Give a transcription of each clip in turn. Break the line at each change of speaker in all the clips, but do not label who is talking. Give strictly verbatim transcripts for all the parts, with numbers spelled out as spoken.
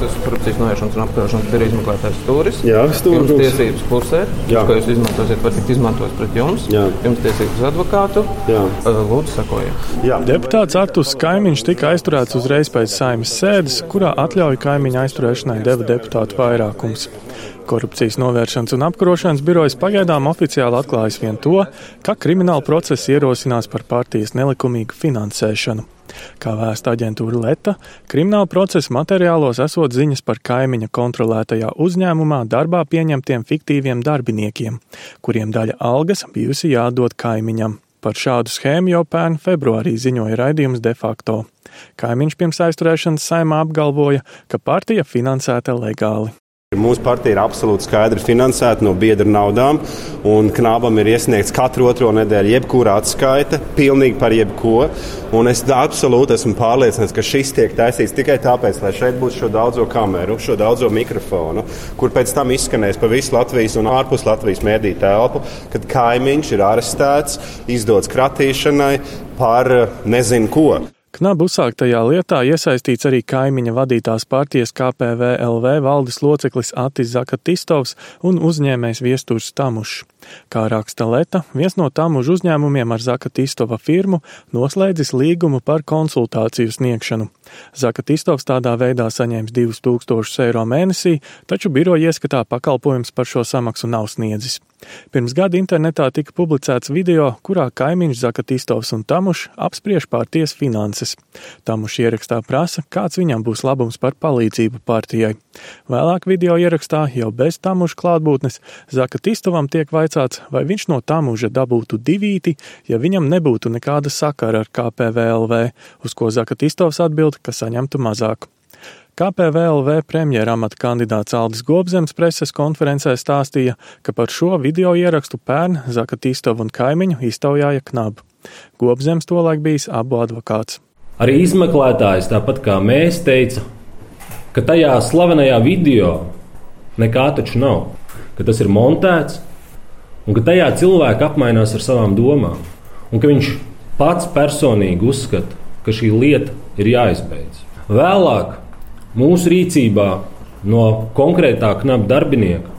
esmu korupcijas novēršanas un apkarošanas biroja izmeklētājs Stūris.
Jā, Stūris.
Jums tiesības klusēt, ko jūs izmantosiet, var tikt izmantots pret jums.
Jā.
Jums tiesības uz advokātu.
Jā.
Lūdzu, sakojiet.
Jā. Deputāts Artūrs Kaimiņš tika aizturēts uzreiz pēc Saeimas sēdes, kurā atļauju Kaimiņa aizturēšanai deva deputātu vairākums. Korupcijas novēršanas un apkarošanas birojas pagaidām oficiāli atklājas vien to, ka krimināla procesa ierosinās par partijas nelikumīgu finansēšanu. Kā vēsta aģentūra Leta, krimināla procesa materiālos esot ziņas par Kaimiņa kontrolētajā uzņēmumā darbā pieņemtiem fiktīviem darbiniekiem, kuriem daļa algas bijusi jādod Kaimiņam. Par šādu schēmu jau pērn februārī ziņoja raidījums De facto. Kaimiņš pirms aizturēšanas Saeimā apgalvoja, ka partija finansēta legāli.
Mūsu partija ir absolūti skaidri finansēta no biedru naudām, un Knabam ir iesniegts katru otro nedēļu jebkura atskaite, pilnīgi par jebko. Un es absolūti esmu pārliecināts, ka šis tiek taisīts tikai tāpēc, lai šeit būtu šo daudzo kameru, šo daudzo mikrofonu, kur pēc tam izskanēs pa visu Latvijas un ārpus Latvijas mediju telpu, kad Kaimiņš ir arestēts, izdots kratīšanai par nezinu ko.
Knaba uzsāktajā lietā iesaistīts arī Kaimiņa vadītās partijas K P V L V valdes loceklis Atis Zakatistovs un uzņēmējs Viesturs Tamušs. Kā raksta Leta, viens no Tamužu uzņēmumiem ar Zakatistova firmu noslēdzis līgumu par konsultāciju sniegšanu. Zakatistovs tādā veidā saņēmis divus tūkstošus eiro mēnesī, taču biroja ieskatā pakalpojums par šo samaksu nav sniedzis. Pirms gada internetā tika publicēts video, kurā Kaimiņš, Zakatistovs un Tamušs apspriež partijas finanses. Tamušs ierakstā prasa, kāds viņam būs labums par palīdzību partijai. Vēlāk video ierakstā, jau bez Tamuša klātbūtnes, Zakatistovam tiek vaicāts, vai viņš no Tamuža dabūtu divīti, ja viņam nebūtu nekāda sakara ar K P V L V, uz ko Zakatistovs atbild, ka saņemtu mazāk. K P V L V premjera amata kandidāts Aldis Gobzems preses konferencē stāstīja, ka par šo video ierakstu pērn Zakatistovu un Kaimiņu iztaujāja Knaba. Gobzems tolaik bijis abu advokāts.
Arī izmeklētājs, tāpat kā mēs, teica, ka tajā slavenajā video nekā taču nav, ka tas ir montēts un ka tajā cilvēki apmainās ar savām domām un ka viņš pats personīgi uzskata, ka šī lieta ir jāizbeidz. Vēlāk mūsu rīcībā no konkrētā Knaba darbinieka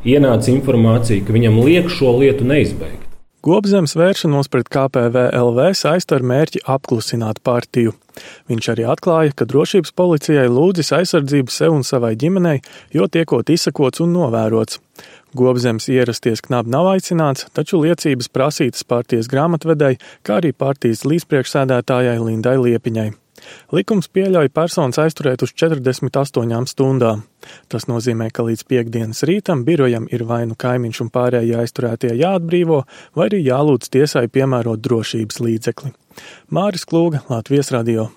ienāca informācija, ka viņam liek šo lietu neizbeigt.
Gobzems vēršanos pret K P V L V saista ar mērķi apklusināt partiju. Viņš arī atklāja, ka drošības policijai lūdzis aizsardzību sev un savai ģimenei, jo tiekot izsakots un novērots. Gobzems ierasties Knaba nav aicināts, taču liecības prasītas partijas grāmatvedei, kā arī partijas līdzpriekšsēdētājai Lindai Liepiņai. Likums pieļauj personas aizturēt uz četrdesmit astoņām stundām. Tas nozīmē, ka līdz piektdienas rītam birojam ir vai nu Kaimiņš un pārējie aizturētie jāatbrīvo, vai arī jālūdz tiesai piemērot drošības līdzekli. Māris Klūga, Latvijas radio.